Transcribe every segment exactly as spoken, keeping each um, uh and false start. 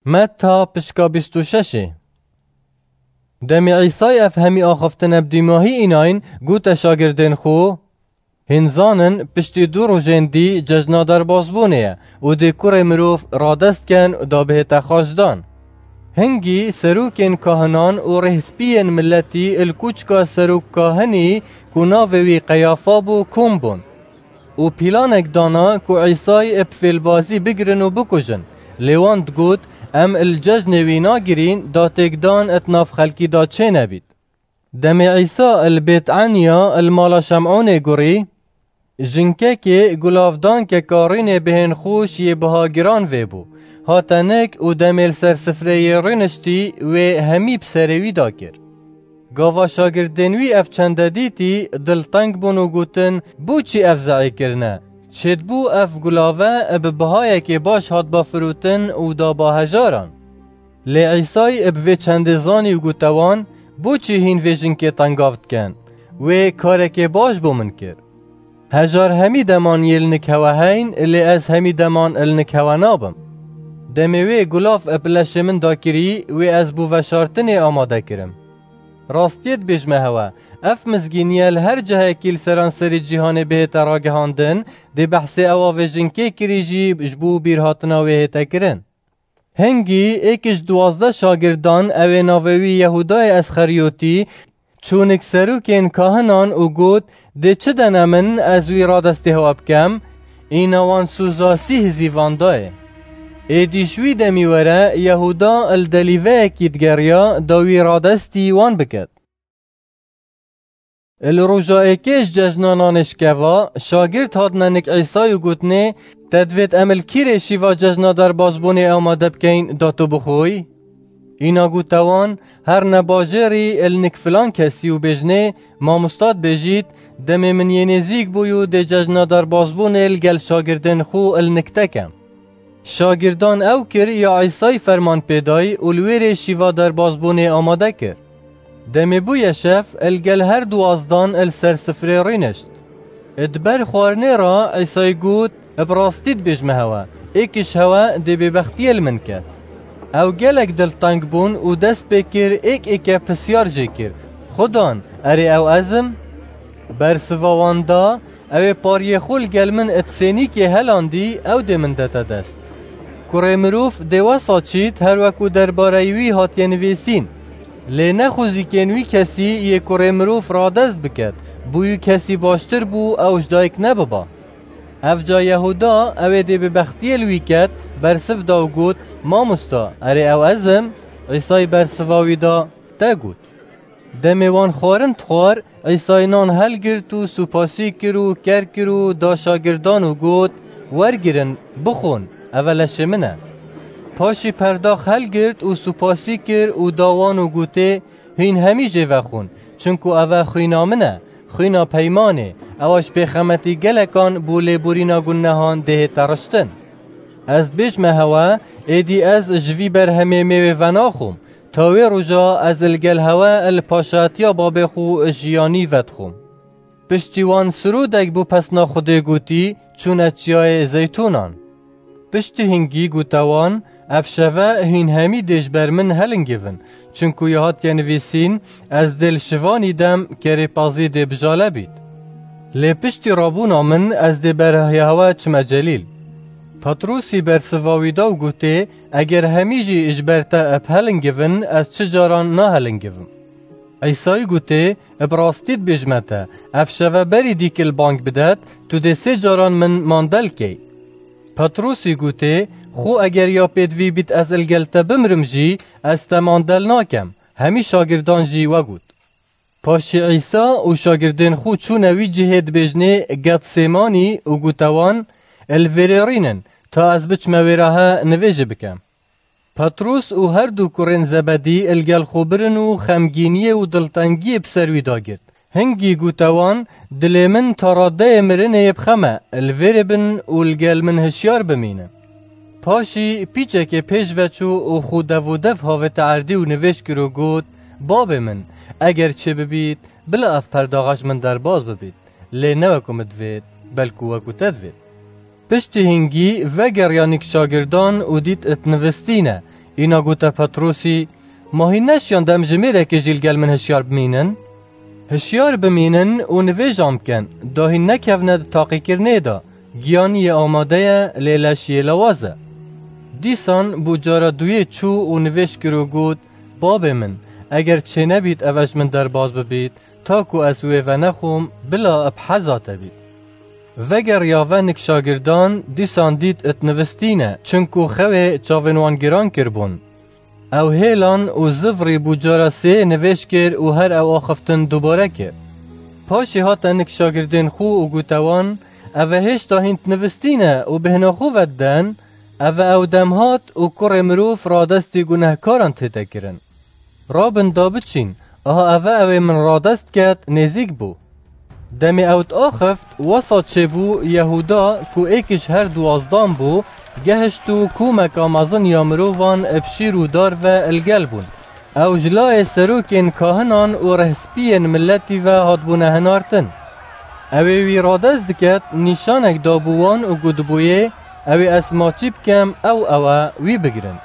Metta pişka bîst û şeşê. Demê Îsay ev hemî axaftine bi dîmahî înayîn, gote şagirdên xwe: Hîn zanin, piştî du rojên dî cejna derbasbûnê ye û dê kurê mirov radest ken da bihête xaçdan. Hingî serokên kahinan û rêhspiyên miletî li kûçka serok kahinî, ku navê wî Qeyafa bû, kom bûn û pîlanek dana ku Îsay bi fêlbazî bigirin û bikujin. Lê wan digot: Em li cejnê wî nagirîn, da têkdan di nav xelkî de çênebît. Demê Îsa li Bêtaniya li mala Şem'ûnê gurî, jinkekê gulavdankeka rûnê bihên xweş yê biha giran vê bû. Hate nik û demê li ser sifreyê rûniştî, wê hemî bi serê wî de kir. Gava şagirdên wî ev çende dîtî, dilteng bûn û gotin: Bo çi ev zehî kirine? Çêdibû ev gulave bi bihayekê baş hatba firotin û daba hejaran. Lê Îsay bi vê çendê zanî û gote wan: Bo çi hîn vê jinkê tengav dikin? Wê karekê baş bo min kir. Hejar hemî deman yê li nik hewe heyn, lê ez hemî deman li nik hewe nabim. Demê wê gulav bi leşê min dakirî, wê ez bo veşartinê amade kirim. Rastiyê dibêjme hewe, ev mizgîniye li her cihekî li seranserê cîhanê bihête ragihandin, dê behsê ewa vê jinkê kirî jî ji bo bîrhatina wê hête kirin. Hingî êk ji duwazdeh şagirdan, ew ê navê wî Yehûdayê Esxeriyotî, çû nik serokên kahinan û got: Dê çi dene min, ez wî radestê hewe bikem? Îna wan sûza sî hizîvan dayê. Êdî ji wî demî were Yehûda li delîveyekî digeriya da wî radestî wan biket. Li roja êkê ji cejna nanê şikeva, şagirt hatine nik Îsay û gotinê: Te divêt em li kîrê şîva cejna derbasbûnê amade bikeyn da tu bixwî? Îna gote wan: Herne bajêrî li nik filan kesî û bêjinê: Mamosta, dibêjît, demê min yê nêzîk bû û dê cejna derbasbûnê li gel şagirdên xwe li nik te kem. Şagirdan ew kir ya Îsay ferman pê dayî û li wê rê şîva derbasbûnê amade kir. Demê bûye şev, li gel her duwazdan li ser sifrê rûnişt. Di ber xwarinê re Îsay got: Bi rastî dibêjme hewe, êk ji hewe dê bêbextiyê li min ket. Ew gelek dilteng bûn û dest pê kir êk êke pisyar jê kir: Xudan, erê ew ez im? Bersiva wan da: Ew ê pariyê xwe li gel min di sênîkê helandî, ew dê min dete dest. Kurê mirov dê wesa çît her wekû derbareyî wî hatiye nivîsîn. Lê nexwezîkên wî kesî yê kurê mirov radest biket, bo wî kesî baştir bû ew ji dayik nebiba. Evca Yehûda, ew ê dê bêbextiyê li wî ket, bersiv da û got: Mamosta, erê ew ez im? Îsay bersiva wî da: Te got. Demê wan xwarin dixwar, Îsay nan helgirt û supasî kir û ker kir û da şagirdan û got: Wergirin, bixwin, ev e leşê min e. Paşî perdax helgirt û supasî kir û da wan û gotê: Hîn hemî jê vexwin, çinku ev e xwîna min e, xwîna peymanê, ewa ji pêxemetî gelekan bo lêborîna gunehan dê hête riştin. Ez dibêjme hewe, êdî ez ji vî berhemê mêwê venaxwim, ta wê roja ez li gel hewe li paşatiya babê xwe jiyanî vedixwim. Piştî wan sirodek bo pesna Xwedê gotî, çûne Çiyayê Zeytûnan. Piştî hingî gote wan: Ev şeve hîn hemî dê ji ber min helingivin, çinku ya hatiye nivîsîn: Ez dê li şivanî dem kerê pazî dê bijale bît. Lê piştî rabûna min ez dê berhiya hewe çime Celîl. Petrûsî bersiva wî da û gotê: Eger hemî jî ji ber te bi helingivin, ez çi caran nahelingivim. Îsayî gotê: Bi rastî dibêjme te, ev şeve berî dîkil bang bidet, tu dê sê caran min mandel key. Petrûsî gotê: Xwe eger ya pêdivî bît ez li gel te bimrim jî, ez te mandel nakem. Hemî şagirdan jî we got. Paşê Îsa û şagirdên xwe çûne wî cihê dibêjinê Getsêmanî û gote wan: Li vêrê rînin, ta ez biçime wêra he nivêjê bikem. Petrûs û her du kurên Zebedî li gel xwe birin û xemgîniyê û diltengiyê bi ser wî da girt. Hingî gote wan: Dilê min ta radeyê mirinê yê bi xem e, li vêrê bin û li gel min hişyar bimînin. Paşî pîçekê pêş ve çû û xwe dev û dev havête erdî û nivêj kir û got: Babê min, eger çêbibît, bila ev perdaxa ji min derbas bibît, lê ne wekû min divêt, belkû wekû te divêt. Piştî hingî vegeriya nik şagirdan û dît dinivistîne: Îna gote Petrosî, Ma hîn neşiyan demjimêrekê jî li gel min hişyar bimînin? Hişyar bimînin û nivêjan bikin, da hîn nekevne di taqîkirinê de. Giyanî yê amade ye, lê leş yê lawaz e. Dîsan bû cara duyê çû û nivêj kir û got, Babê min, eger çênebît eve ji min derbas bibît, ta ku ez wê venexwim, bila bi heza te bît. Vegeriya venik şagirdan, dîsan dît it nivistîne, çinku xewê çavên wan giran kiribûn. Ew hêlan û zivrî bû cara sê nivêj kir û her ew axiftin dubare kir. Paşê hate nik şagirdên xwe û gote wan, Eve hêşta hîn nivistîne û bêhna xwe vediden, eve ew dem hat û kurê mirov radestî gunehkaran tête kirin. Rabin da biçîn, aha eve ew ê min radest ket, nêzîk bû. Demê ew diaxift, wesa çêbû, Yehuda, ku êk ji her duwazdan bû, gehişt û komeka mezin ya mirovan bi şîr û dar ve li gel bûn. Ew ji layê serokên kahinan û rihspiyên miletî ve hatbûne hinartin. Ew ê wî radest diket, nîşanek dabû wan û gotibûyê, Ew ê ez maçî bikem, ew ew e, wî bigirin.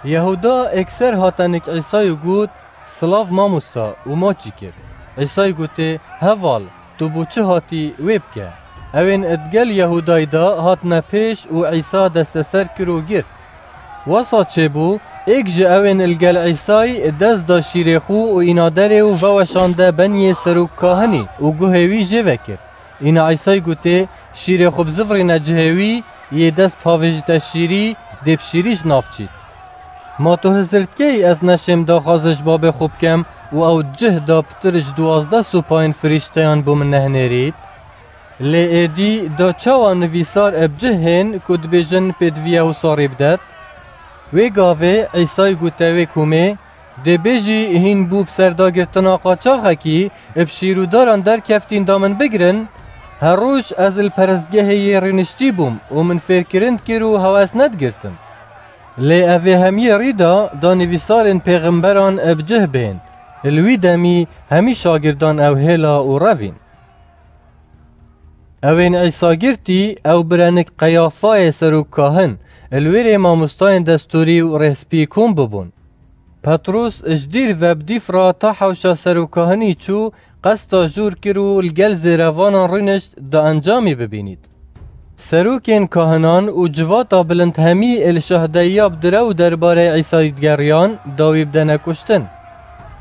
Yehuda êkser hate nik Îsayî û got, Silav mamosta, û maçî kir. Îsayî gotê, Heval, tu bo çi hatî, wê bike. Ewên digel Yehûdayî de hatine pêş û Îsa desteser kir û girt. Wesa çêbû, êk ji ewên li gel Îsayî dest da şîrê xwe û îna derê û veweşande beniyê serok kahinî û guhê wî jê vekir. Îna Îsayî gotê, Şîrê xwe bizivirîne cihê wî, yê dest pavêjite şîrî, dê bi şîrî ji nav çît. Ma tu hizir dikey ez neşêm daxwazê ji babê xwe bikem û ew cih da pitir ji duwazdeh supayên firîşteyan bo min nehinêrît? Lê êdî da çawa nivîsar bi cih hên ku dibêjin pêdiviya wisa rê bidet? Wê gavê Îsayî gote wê komê, Dê bêjî hîn bû bi serdagirtina qaçaxekî, bi şîr û daran derkeftîn da min bigirin, her roj ez li perestgehê yê rêniştî bûm û min fêrkirin dikir û hewes nedigirtim. Lê ev ê hemiyê rî da, da nivîsarên pêxemberan bi cih bên. Li wî demî hemî şagirdan ew hêla û revîn. Ewên Îsa girtî, ew birenik Qeyafayê serok kahin, li wêrê mamostayên destûrî û rêhspî kom bibûn. Petros ji dîr ve bi dîf re ta hewşa serok kahinî çû, qesta jûr kir û li gel zêrevanan rûnişt da encamî bibînît. Serokên kahinan û civata bilind hemî li şahdeyiya bi direw derbarê Îsayî digeriyan, da wî bidene kuştin.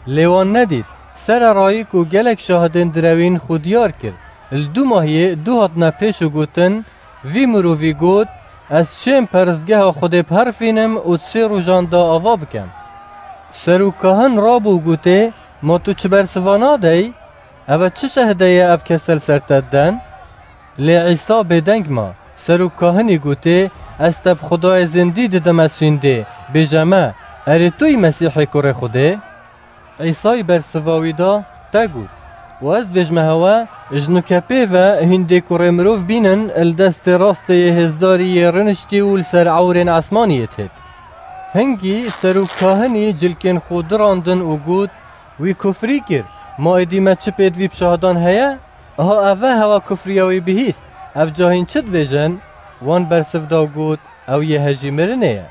Lê wan nedît, sererayî ku gelek şahidên direwîn xwe diyar kir, li dûmahiyê du hatine pêş û gotin, Vî mirovî got, Ez çêm peristgeha Xwedê biherifînim û di sê rojan de ava bikem. Serok kahin rabû û gotê, Ma tu çi bersiva nadey? Eve çi şehde ye ev kese li ser te diden? Lê Îsa bêdeng ma. Serok kahinî gotê, Ez te bi Xwedayê zindî didime sûndê, bêje me, Erê tu yî Mesîhê kurê Xwedê? Îsayî bersiva wî da, Te got, û ez dibêjme hewe, ji nuke pê ve hîn dê kurê mirov bînin li destê rastê yê hêzdarî yê rûniştî û li ser ewrên esmanî yê têt. Hingî serok kahinî cilkên xwe dirandin û got, Wî kufrî kir, ma êdî me çi pêdivî bi şahidan heye? Aha eve hewa kufriya wî bihîst, ev ca hîn çi dibêjin? Wan bersiv da û got, Ew yê hejî mirinê ye.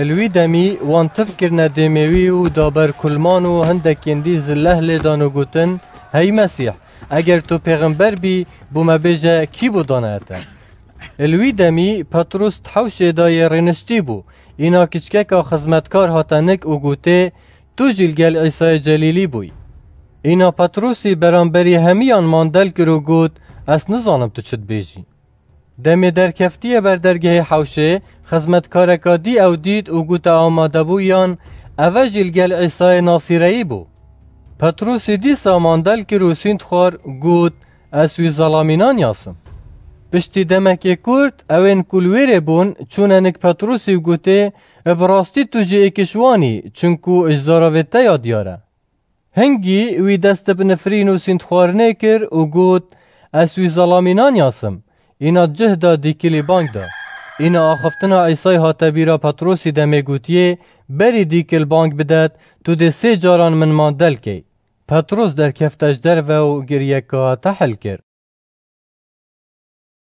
Li wî demî wan tiv kirine dêmê wî û da ber kulman û hindekên dî zileh lê dan û gotin, Hey Mesîh, eger tu pêxember bî, bo me bêje kî bo dane te? Li wî demî Petrus di hewşê de yê rêniştî bû. Îna kiçkeka xizmetkar hate nik û gotê, Tu jî li gel Îsayê Celîlî bûyî. Îna Petrusî beramberî hemiyan mandel kir û got, Ez nizanim tu çi dibêjî. Demê derkeftiye ber dergehê hewşê, xizmetkareka dî ew dît û gote amadebûyan, Eve jî li gel Îsayê Nasîreyî bû. Petrûsî dîsa mandel kir û sînd xwar, got, Ez wî zelamînan yasim. Piştî demekê kurt, ewên ku li wêrê bûn, çûne nik Petrûsî û gotê, Bi rastî tu jî êk ji wan î, çinku ji zaravê te ya diyar e. Hingî wî dest bi nifrîn û sîndxwarinê kir û got, Ez wî zelamînan yasim. Îna cih da dîkilî bang da. Îna axiftina Îsay hate bîra Petrosî demê gotiyê, Berî dîkil bang bidet, tu dê sê caran min mandel key. Petros derkefte ji derve û giriyeka tehil kir.